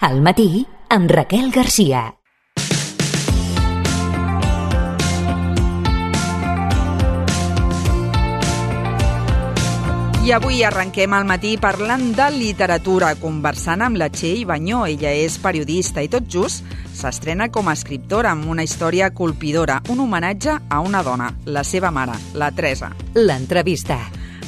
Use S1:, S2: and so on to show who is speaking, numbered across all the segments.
S1: Al matí, amb Raquel Garcia.
S2: I avui arrenquem al matí parlant de literatura, conversant amb la Txell Banyó. Ella és periodista i tot just s'estrena com a escriptora amb una història colpidora, un homenatge a una dona, la seva mare, la Teresa.
S1: L'entrevista.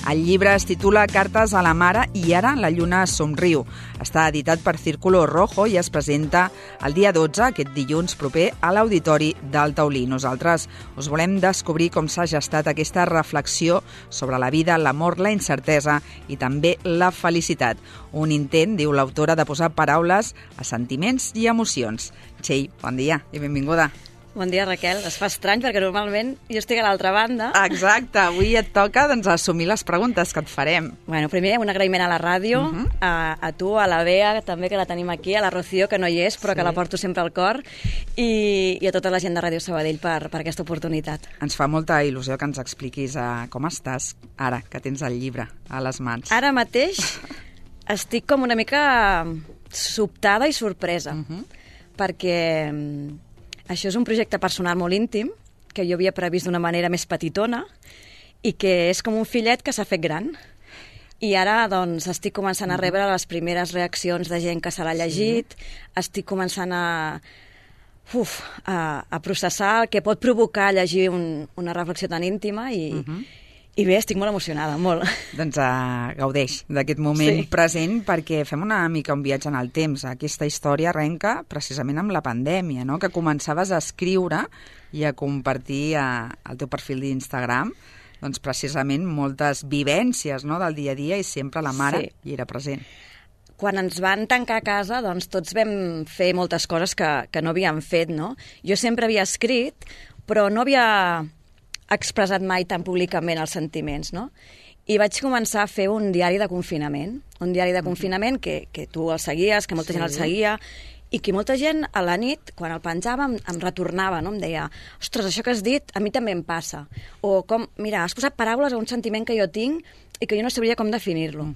S2: El llibre es titula Cartes a la mare i ara la lluna somriu. Està editat per Círculo Rojo i es presenta el dia 12, aquest dilluns proper, a l'Auditori del Taulí. Nosaltres us volem descobrir com s'ha gestat aquesta reflexió sobre la vida, l'amor, la incertesa i també la felicitat. Un intent, diu l'autora, de posar paraules a sentiments i emocions. Txell, bon dia i benvinguda.
S3: Bon dia, Raquel. Es fa estrany perquè normalment jo estic a l'altra banda.
S2: Exacte. Avui et toca assumir les preguntes que et farem.
S3: Bueno, primer un agraïment a la ràdio, a tu, a la Bea, també que la tenim aquí, a la Rocío, que no hi és, però que la porto sempre al cor, i a tota la gent de Ràdio Sabadell per aquesta oportunitat.
S2: Ens fa molta il·lusió que ens expliquis com estàs ara que tens el llibre a les mans.
S3: Ara mateix estic com una mica sobtada i sorpresa, perquè això és un projecte personal molt íntim, que jo havia previst d'una manera més petitona i que és com un fillet que s'ha fet gran. I ara doncs, estic començant a rebre les primeres reaccions de gent que se l'ha llegit, estic començant a processar el que pot provocar llegir una reflexió tan íntima i bé, estic molt emocionada, molt.
S2: Doncs gaudeix d'aquest moment present perquè fem una mica un viatge en el temps. Aquesta història arrenca precisament amb la pandèmia, no? Que començaves a escriure i a compartir al teu perfil d'Instagram doncs precisament moltes vivències, no?, del dia a dia i sempre la mare hi era present.
S3: Quan ens van tancar a casa, doncs tots vam fer moltes coses que no havíem fet, no? Jo sempre havia escrit, però no havia expressat mai tan públicament els sentiments, no? I vaig començar a fer un diari de confinament, que tu el seguies, que molta gent el seguia, i que molta gent a la nit, quan el penjava, em retornava, no? Em deia, ostres, això que has dit a mi també em passa. O com, mira, has posat paraules a un sentiment que jo tinc i que jo no sabria com definir-lo.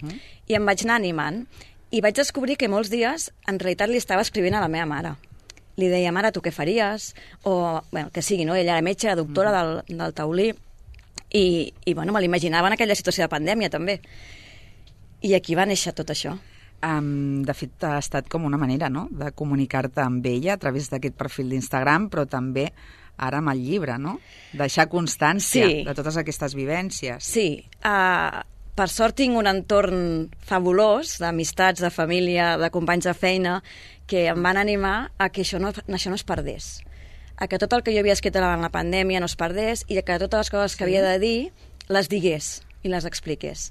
S3: I em vaig anar animant. I vaig descobrir que molts dies, en realitat, li estava escrivint a la meva mare. Li deia, mare, tu què faries? O, bueno, que sigui, no? Ella era metge, era doctora del Taulí, i bueno, me l'imaginava en aquella situació de pandèmia, també. I aquí va néixer tot això.
S2: De fet, ha estat com una manera, no?, de comunicar-te amb ella a través d'aquest perfil d'Instagram, però també ara amb el llibre, no? Deixar constància de totes aquestes vivències.
S3: Sí, per sort tinc un entorn fabulós d'amistats, de família, de companys de feina, que em van animar a que això no es perdés. A que tot el que jo havia escrit en la pandèmia no es perdés i que totes les coses que havia de dir les digués i les expliqués.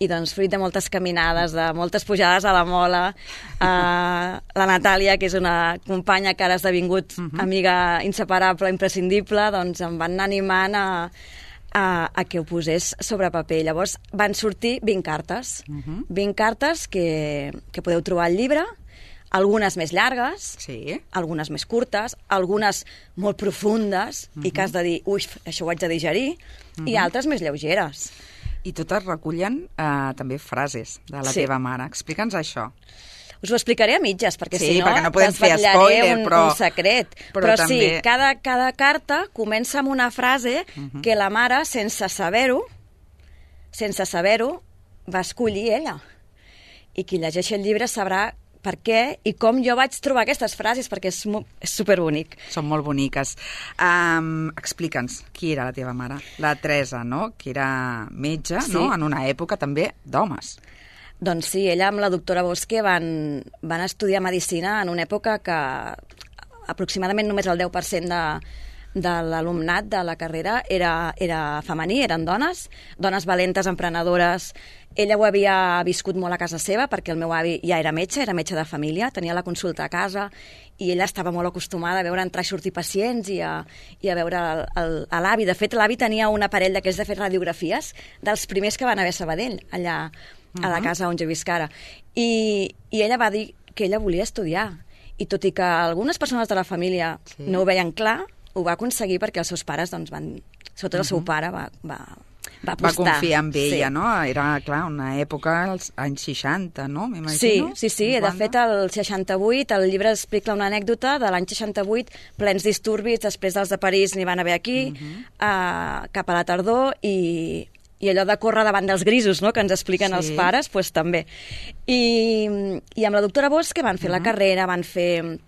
S3: I doncs, fruit de moltes caminades, de moltes pujades a la mola, la Natàlia, que és una companya que ara ha esdevingut amiga inseparable, imprescindible, doncs em van anar animant a que ho posés sobre paper. Llavors van sortir 20 cartes. 20 cartes que podeu trobar al llibre, algunes més llargues, algunes més curtes, algunes molt profundes i que has de dir, ui, això ho haig de digerir, i altres més lleugeres.
S2: I totes recullen també frases de la teva mare. Explica'ns això.
S3: Us ho explicaré a mitges, perquè si no,
S2: perquè no podem fer spoiler,
S3: un secret. Però
S2: també...
S3: sí, cada carta comença amb una frase que la mare, sense saber-ho, va escollir ella. I qui llegeixi el llibre sabrà per què i com jo vaig trobar aquestes frases, perquè és superbonic.
S2: Són molt boniques. Explica'ns, qui era la teva mare? La Teresa, no?, que era metge, no?, en una època també d'homes.
S3: Doncs sí, ella amb la doctora Bosque van estudiar medicina en una època que aproximadament només el 10% de l'alumnat de la carrera era femení, eren dones valentes, emprenedores. Ella ho havia viscut molt a casa seva perquè el meu avi ja era metge de família, tenia la consulta a casa i ella estava molt acostumada a veure entrar i sortir pacients i a veure l'avi. De fet, l'avi tenia un aparell d'aquells de fer radiografies dels primers que van haver a Sabadell, allà a la casa on jo visc ara. I ella va dir que ella volia estudiar. I tot i que algunes persones de la família no ho veien clar, ho va aconseguir perquè els seus pares, doncs, sobretot el seu pare, va va apostar.
S2: Va confiar en ella, no? Era, clar, una època, als anys 60, no? M'imagino.
S3: Sí. De fet, el 68, el llibre explica una anècdota de l'any 68, plens disturbis, després dels de París n'hi van haver aquí, cap a la tardor, i allò de córrer davant dels grisos, no?, que ens expliquen els pares, doncs també. I amb la doctora Bosch van fer la carrera, van fer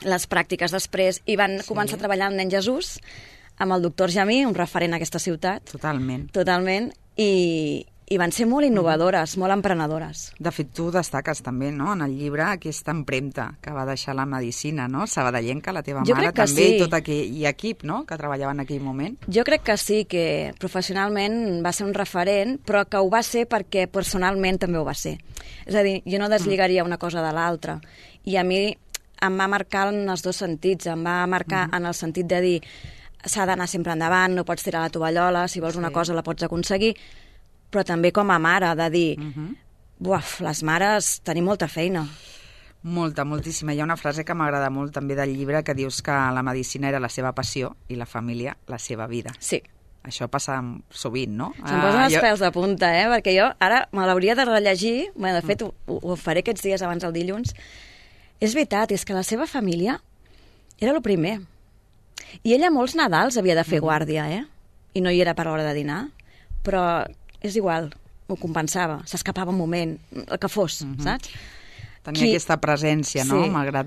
S3: les pràctiques després i van començar a treballar amb Nen Jesús, amb el doctor Jamí, un referent a aquesta ciutat. Totalment. I van ser molt innovadores, molt emprenedores.
S2: De fet, tu destaques també, no?, en el llibre aquesta empremta que va deixar la medicina, no?, sabadellenca, la teva mare, també, i tot aquell equip, no?, que treballava en aquell moment.
S3: Jo crec que sí, que professionalment va ser un referent, però que ho va ser perquè personalment també ho va ser. És a dir, jo no deslligaria una cosa de l'altra. I a mi em va marcar en els dos sentits. Em va marcar en el sentit de dir s'ha d'anar sempre endavant, no pots tirar la tovallola, si vols una cosa la pots aconseguir, però també com a mare, de dir les mares tenim molta feina.
S2: Moltíssima. Hi ha una frase que m'agrada molt també del llibre que dius que la medicina era la seva passió i la família la seva vida.
S3: Sí.
S2: Això passa sovint, no?
S3: Se'm posen els pèls de punta, perquè jo ara me l'hauria de rellegir, de fet ho faré aquests dies abans del dilluns. És veritat, és que la seva família era el primer. I ella molts Nadals havia de fer guàrdia, i no hi era per l'hora de dinar, però és igual, ho compensava, s'escapava un moment, el que fos, saps?
S2: Tenia aquesta presència, no?, malgrat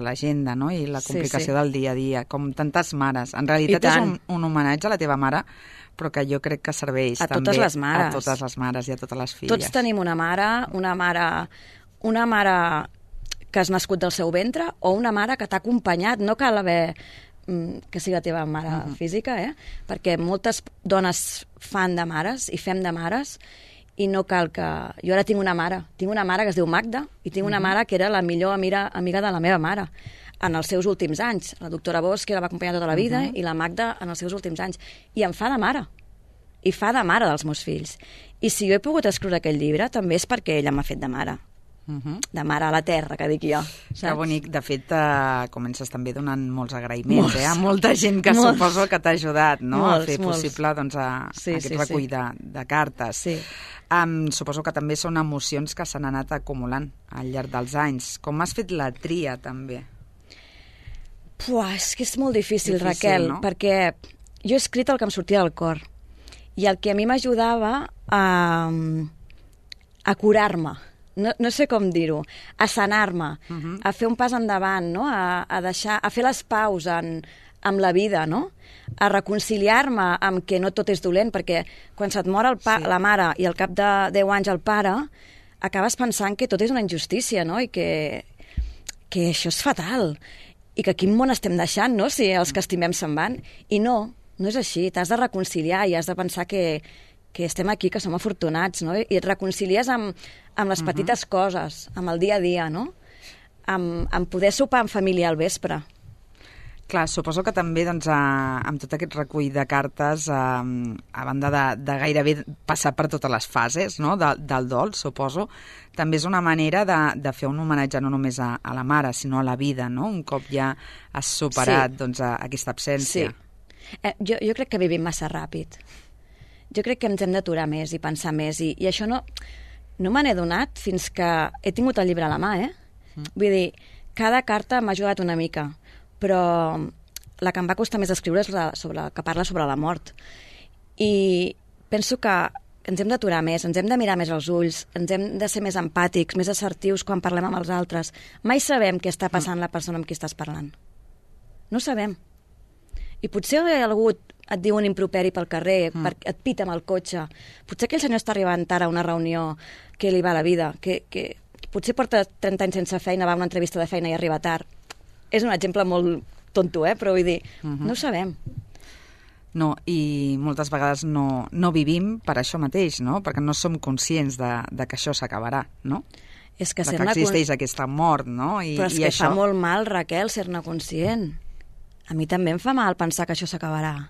S2: l'agenda, no?, i la complicació del dia a dia, com tantes mares. En realitat és un homenatge a la teva mare, però que jo crec que serveix també a totes les mares i a totes les filles.
S3: Tots tenim una mare que has nascut del seu ventre o una mare que t'ha acompanyat, no cal haver que sigui la teva mare física, perquè moltes dones fan de mares i fem de mares i no cal que... Jo ara tinc una mare que es diu Magda i tinc una mare que era la millor amiga de la meva mare en els seus últims anys. La doctora Bosch, que la va acompanyar tota la vida, i la Magda en els seus últims anys. I em fa de mare. I fa de mare dels meus fills. I si jo he pogut escriure aquell llibre, també és perquè ella m'ha fet de mare. De mare a la terra, que dic jo. Saps?
S2: Que bonic. De fet, comences també donant molts agraïments a molta gent que suposo que t'ha ajudat, no?, a fer possible aquest recull de cartes. Suposo que també són emocions que s'han anat acumulant al llarg dels anys. Com has fet la tria, també?
S3: És que és molt difícil, Raquel, perquè jo he escrit el que em sortia del cor. I el que a mi m'ajudava a curar-me, no sé com dir-ho, a sanar-me, a fer un pas endavant, no?, a fer les paus amb la vida, no?, a reconciliar-me amb que no tot és dolent, perquè quan se't mor la mare i al cap de 10 anys el pare, acabes pensant que tot és una injustícia, no?, i que això és fatal, i que quin món estem deixant, no?, si els que estimem se'n van. I no és així, t'has de reconciliar i has de pensar que estem aquí, que som afortunats, no?, i et reconcilies amb les petites coses, amb el dia a dia, no?, amb poder sopar en família al vespre.
S2: Clar, suposo que també amb tot aquest recull de cartes, a banda de gairebé passar per totes les fases, no?, del dol, suposo, també és una manera de fer un homenatge no només a la mare, sinó a la vida, no?, un cop ja has superat aquesta absència.
S3: Sí. Jo crec que vivim massa ràpid. Jo crec que ens hem d'aturar més i pensar més, i això no me n'he donat fins que he tingut el llibre a la mà, Vull dir, cada carta m'ha ajudat una mica, però la que em va costar més escriure és que parla sobre la mort. I penso que ens hem d'aturar més, ens hem de mirar més als ulls, ens hem de ser més empàtics, més assertius quan parlem amb els altres. Mai sabem què està passant la persona amb qui estàs parlant. No sabem. I potser algú et diu un improperi pel carrer, et pita amb el cotxe. Potser aquell senyor està arribant ara a una reunió que li va la vida, que potser porta 30 anys sense feina, va a una entrevista de feina i arriba tard. És un exemple molt tonto, però vull dir, no ho sabem.
S2: No, i moltes vegades no vivim per això mateix, no?, perquè no som conscients de que això s'acabarà, no?,
S3: és que
S2: que existeix aquesta mort, no?
S3: Però és que fa molt mal, Raquel, ser-ne conscient. A mi també em fa mal pensar que això s'acabarà.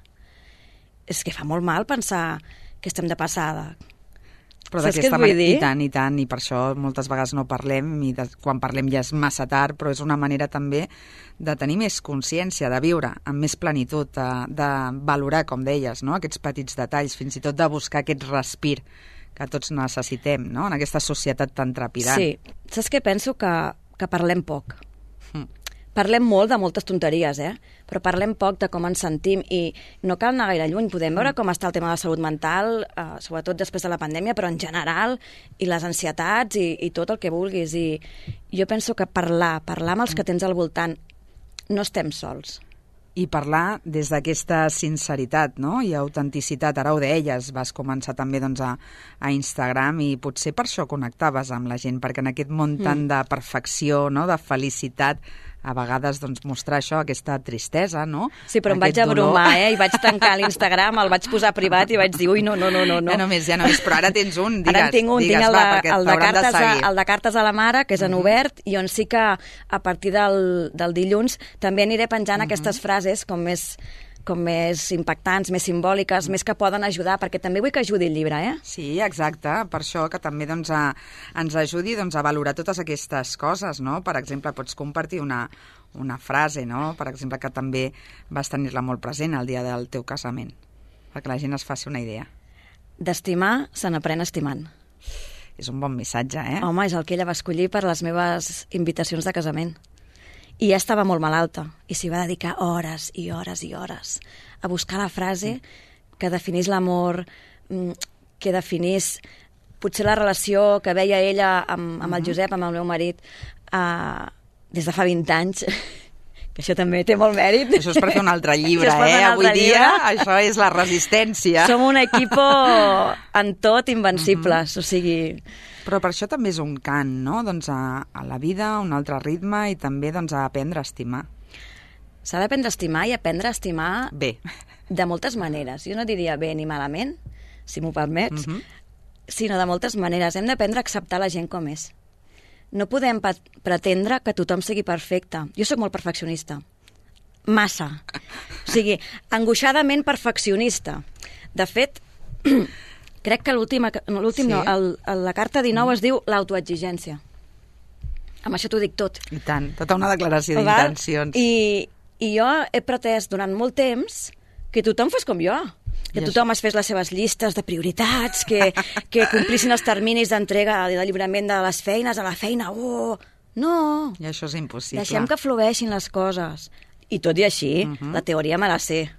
S3: És que fa molt mal pensar que estem de passada.
S2: Però
S3: Saps què
S2: d'aquesta
S3: et vull dir?
S2: I tant, i per això moltes vegades no parlem, i quan parlem ja és massa tard, però és una manera també de tenir més consciència, de viure amb més plenitud, de valorar, com deies, no? Aquests petits detalls, fins i tot de buscar aquest respir que tots necessitem, no? En aquesta societat tan trepidant.
S3: Sí. Saps què penso? Que parlem poc. Parlem molt de moltes tonteries, però parlem poc de com ens sentim i no cal anar gaire lluny. Podem veure com està el tema de la salut mental, sobretot després de la pandèmia, però en general, i les ansietats i tot el que vulguis. I jo penso que parlar amb els que tens al voltant, no estem sols.
S2: I parlar des d'aquesta sinceritat, no? I autenticitat. Ara ho deies, vas començar també doncs, a Instagram i potser per això connectaves amb la gent, perquè en aquest món tant de perfecció, no? De felicitat, a vegades doncs, mostrar això, aquesta tristesa, no?
S3: Sí, però em vaig abrumar, i vaig tancar l'Instagram, el vaig posar privat i vaig dir, ui, no.
S2: Ja només, però ara tens un, digues.
S3: Ara en tinc un,
S2: digues,
S3: tinc el de cartes a la mare, que és en obert, i on sí que a partir del dilluns també aniré penjant aquestes frases com més impactants, més simbòliques, més que poden ajudar, perquè també vull que ajudi el llibre,
S2: Sí, exacte, per això que també doncs, ens ajudi a valorar totes aquestes coses, no? Per exemple, pots compartir una frase, no? Per exemple, que també vas tenir-la molt present el dia del teu casament, perquè la gent es faci una idea.
S3: D'estimar se n'aprèn estimant.
S2: És un bon missatge,
S3: Home, és el que ella va escollir per les meves invitacions de casament. I ja estava molt malalta, i s'hi va dedicar hores i hores i hores a buscar la frase que definís l'amor, que definís potser la relació que veia ella amb el Josep, amb el meu marit, des de fa 20 anys, que això també té molt mèrit.
S2: Això és per fer un altre llibre, Avui dia això és la resistència.
S3: Som un equipo en tot invencibles, o sigui...
S2: Però per això també és un cant, no? Doncs a la vida, un altre ritme i també doncs, a aprendre a estimar.
S3: S'ha d'aprendre a estimar i aprendre a estimar
S2: bé.
S3: De moltes maneres. Jo no diria bé ni malament, si m'ho permets, sinó de moltes maneres. Hem d'aprendre a acceptar la gent com és. No podem pretendre que tothom sigui perfecte. Jo sóc molt perfeccionista. Massa. O sigui, angoixadament perfeccionista. De fet... Crec que la carta 19 es diu l'autoexigència. Amb això t'ho dic tot.
S2: I tant, tota una declaració d'intencions.
S3: I jo he pretès durant molt temps que tothom fos com jo. Que tothom es fes les seves llistes de prioritats, que complissin els terminis d'entrega i de lliurament de les feines a la feina. No!
S2: I això és impossible.
S3: Deixem que flueixin les coses. I tot i així, la teoria me la sé.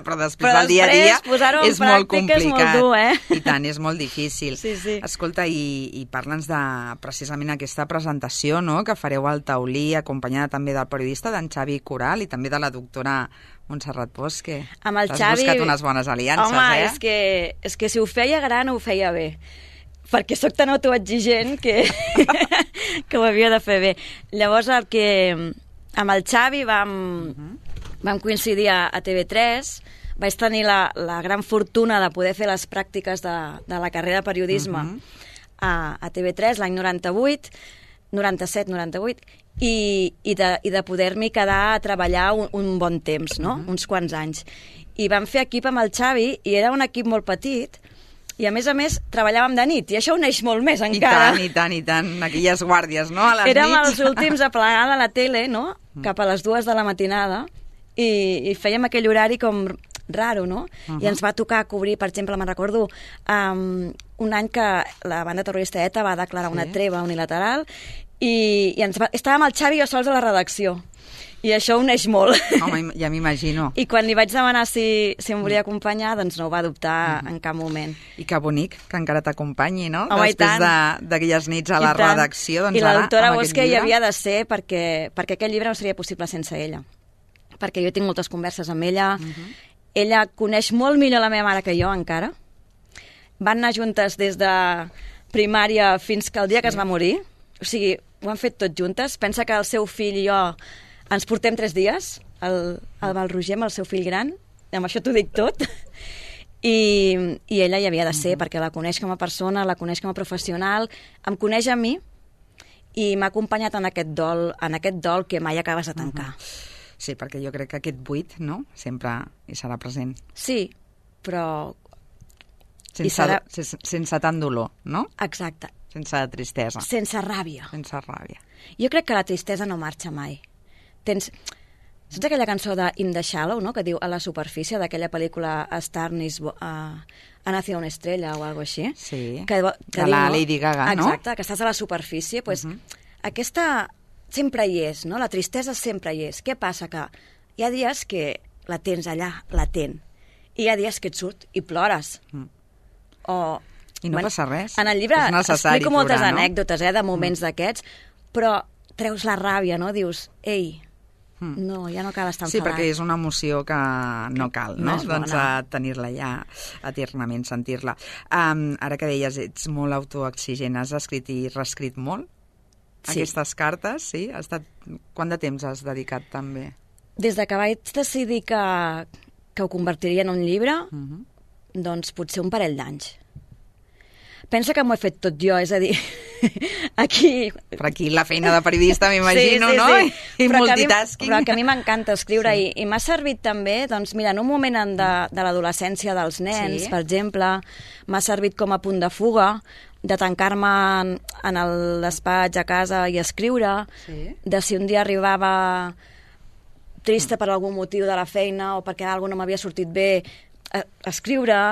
S2: Però després del dia a dia és molt complicat.
S3: És molt dur,
S2: I tant, és molt difícil.
S3: Sí.
S2: Escolta, i parla'ns de precisament aquesta presentació, no?, que fareu al Taulí, acompanyada també del periodista, d'en Xavi Coral, i també de la doctora Montserrat Bosch, que t'has buscat unes bones aliances,
S3: Home, és que si ho feia gran ho feia bé, perquè sóc tan autoexigent que ho havia de fer bé. Llavors, amb el Xavi vam coincidir a TV3, vaig tenir la gran fortuna de poder fer les pràctiques de la carrera de periodisme a TV3 l'any 97-98, i de poder-m'hi quedar a treballar un bon temps, no? Uns quants anys. I vam fer equip amb el Xavi, i era un equip molt petit, i a més treballàvem de nit, i això uneix molt més encara.
S2: I tant, aquelles guàrdies, no?, a les
S3: Érem
S2: nits.
S3: els últims a plegar de la tele, no?, cap a les 2 de la matinada, i fèiem aquell horari com raro, no? I ens va tocar cobrir, per exemple, me'n recordo, un any que la banda terrorista ETA va declarar una treva unilateral, i estàvem el Xavi i jo sols a la redacció. I això uneix molt.
S2: Home, ja m'imagino.
S3: I quan li vaig demanar si em volia acompanyar, doncs no ho va dubtar en cap moment.
S2: I que bonic que encara t'acompanyi, no?
S3: Home,
S2: després d'aquelles nits a la redacció. Doncs
S3: I la doctora
S2: Bosch
S3: hi havia de ser perquè aquest llibre no seria possible sense ella. Perquè jo tinc moltes converses amb ella. Ella coneix molt millor la meva mare que jo, encara. Van anar juntes des de primària fins que el dia que es va morir. O sigui, ho han fet tot juntes. Pensa que el seu fill i jo ens portem 3 dies, el Roger amb el seu fill gran, amb això t'ho dic tot, i ella hi havia de ser, perquè la coneix com a persona, la coneix com a professional, em coneix a mi, i m'ha acompanyat en aquest dol que mai acabes de tancar.
S2: Sí, perquè jo crec que aquest buit, no?, sempre hi serà present.
S3: Sí, però
S2: Sense tant dolor, no?
S3: Exacte.
S2: Sense tristesa.
S3: Sense ràbia.
S2: Sense ràbia.
S3: Jo crec que la tristesa no marxa mai. Saps aquella cançó de In the Shallow, no?, que diu a la superfície, d'aquella pel·lícula A Star ha nacido una estrella o alguna cosa així?
S2: Sí,
S3: que
S2: de la Lady Gaga, no?
S3: Exacte, que estàs a la superfície. Pues, aquesta sempre hi és, no? La tristesa sempre hi és. Què passa? Que hi ha dies que la tens allà, latent, i hi ha dies que et surt i plores.
S2: I no passa res.
S3: En el llibre explico moltes anècdotes de moments d'aquests, però treus la ràbia, no? Dius, ei, no, ja no cal estar enfadat.
S2: Sí, perquè és una emoció que no cal, no? Doncs tenir-la ja eternament, sentir-la. Ara que deies, ets molt autoexigent, has escrit i reescrit molt?
S3: Sí.
S2: Aquestes cartes, sí? Quant de temps has dedicat també?
S3: Des de que vaig decidir que ho convertiria en un llibre, doncs potser un parell d'anys. Pensa que m'ho he fet tot jo, és a dir, aquí...
S2: Per aquí la feina de periodista, m'imagino,
S3: sí,
S2: no?
S3: Sí.
S2: I multitasking.
S3: Però que a mi m'encanta escriure, i m'ha servit també, doncs mira, en un moment de l'adolescència dels nens, per exemple, m'ha servit com a punt de fuga, de tancar-me en el despatx a casa i escriure, de si un dia arribava trista per algun motiu de la feina o perquè alguna no m'havia sortit bé, escriure...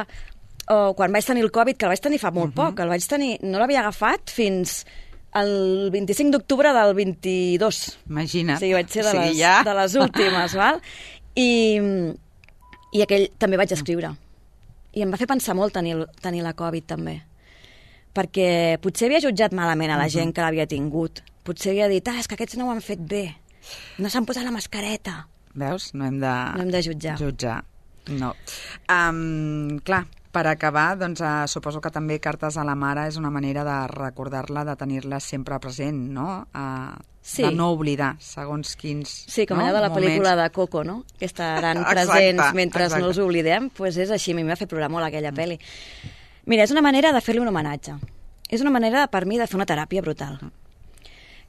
S3: O quan vaig tenir el Covid, que el vaig tenir fa molt poc, no l'havia agafat fins el 25 d'octubre del 22.
S2: Imagina't.
S3: O sigui, vaig ser de les últimes, val? I aquell també vaig escriure. I em va fer pensar molt tenir la Covid, també. Perquè potser havia jutjat malament a la gent que l'havia tingut. Potser havia dit, és que aquests no ho han fet bé. No s'han posat la mascareta.
S2: Veus? No hem de
S3: jutjar.
S2: No. Clar, per acabar, doncs, suposo que també Cartes a la mare és una manera de recordar-la, de tenir-la sempre present, no? De no oblidar, segons quins...
S3: Sí, com allò de la pel·lícula de Coco, no? Que estaran presents mentre no els oblidem, doncs és així, a mi m'ha fet plorar molt aquella pel·li. Mira, és una manera de fer-li un homenatge. És una manera, per mi, de fer una teràpia brutal.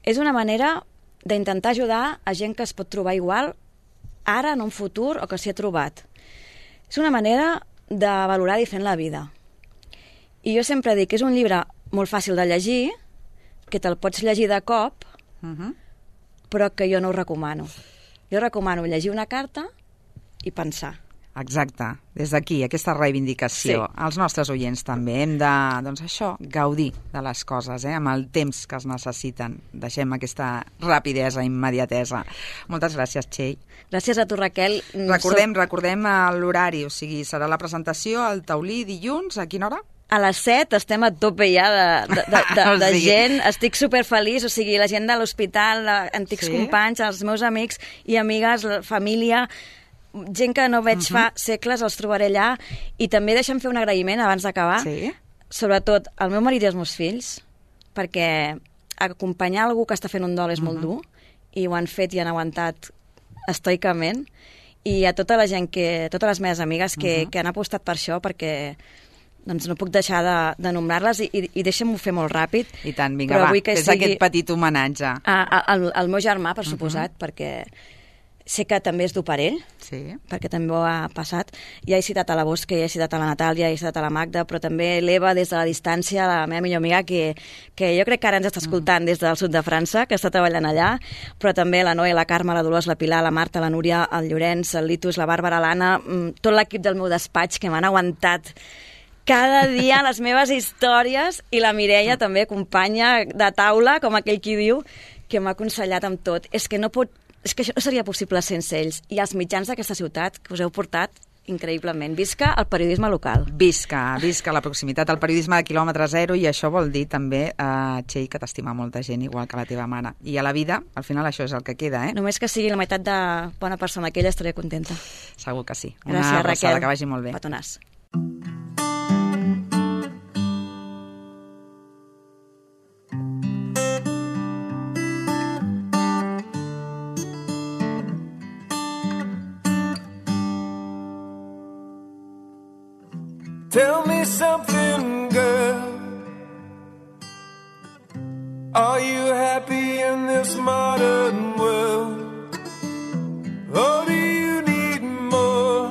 S3: És una manera d'intentar ajudar a gent que es pot trobar igual ara, en un futur, o que s'hi ha trobat. És una manera de valorar diferent la vida. I jo sempre dic que és un llibre molt fàcil de llegir, que te'l pots llegir de cop, però que jo no ho recomano. Jo recomano llegir una carta i pensar.
S2: Exacte, des d'aquí, aquesta reivindicació.
S3: Sí.
S2: Els nostres oients també hem de, doncs això, gaudir de les coses, amb el temps que es necessiten. Deixem aquesta rapidesa, immediatesa. Moltes gràcies, Txell.
S3: Gràcies a tu, Raquel.
S2: Recordem l'horari, o sigui, serà la presentació al Taulí dilluns, a quina hora?
S3: A les 7 estem a tope ja de gent, estic superfeliç, o sigui, la gent de l'hospital, antics companys, els meus amics i amigues, la família, gent que no veig fa segles, els trobaré allà, i també deixa'm fer un agraïment abans d'acabar, sobretot al meu marit i als meus fills, perquè acompanyar algú que està fent un dol és molt dur, i ho han fet i han aguantat estoicament, i a tota la gent, totes les meves amigues que han apostat per això, perquè doncs no puc deixar de nombrar-les, i deixa'm-ho fer molt ràpid.
S2: I tant, vinga, va, fes aquest petit homenatge.
S3: Al meu germà, per suposat, perquè sé que també és dur per ell, perquè també ho ha passat. Ja he citat a la Bosca, ja he citat a la Natàlia, ja he citat a la Magda, però també l'Eva des de la distància, la meva millor amiga, que jo crec que ara ens està escoltant des del sud de França, que està treballant allà, però també la Noé, la Carme, la Dolors, la Pilar, la Marta, la Núria, el Llorenç, el Litus, la Bàrbara, l'Anna, tot l'equip del meu despatx que m'han aguantat cada dia les meves històries, i la Mireia també, companya de taula, com aquell qui diu, que m'ha aconsellat amb tot. És que això no seria possible sense ells. I els mitjans d'aquesta ciutat, que us heu portat increïblement. Visca el periodisme local.
S2: Visca la proximitat, el periodisme de quilòmetre zero, i això vol dir també, Txell, que t'estima molta gent, igual que la teva mare. I a la vida, al final, això és el que queda,
S3: Només que sigui la meitat de bona persona que ella, estaré contenta.
S2: Segur que sí.
S3: Gràcies,
S2: Una abraçada,
S3: Raquel.
S2: que vagi molt bé.
S3: Petonàs.
S4: Tell me something, girl. Are you happy in this modern world? Or do you need more?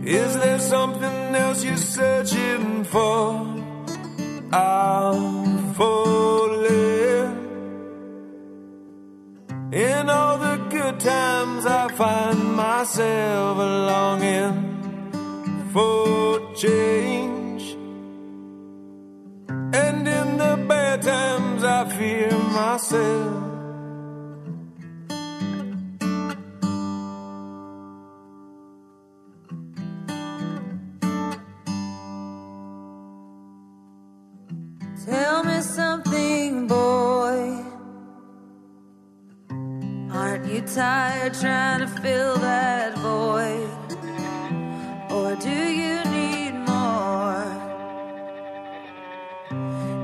S4: Is there something In all the good times I find myself longing for change, and in the bad times I fear myself.
S5: Tell me something, boy. Aren't you tired trying to fill that void? Or do you need more?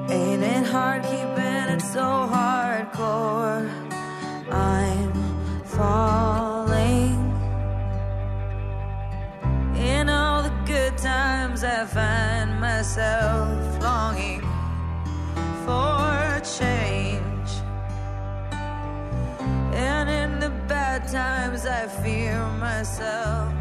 S5: Ain't it hard keeping it so hardcore? I'm falling. In all the good times I find myself longing for change, and in the bad times I fear myself.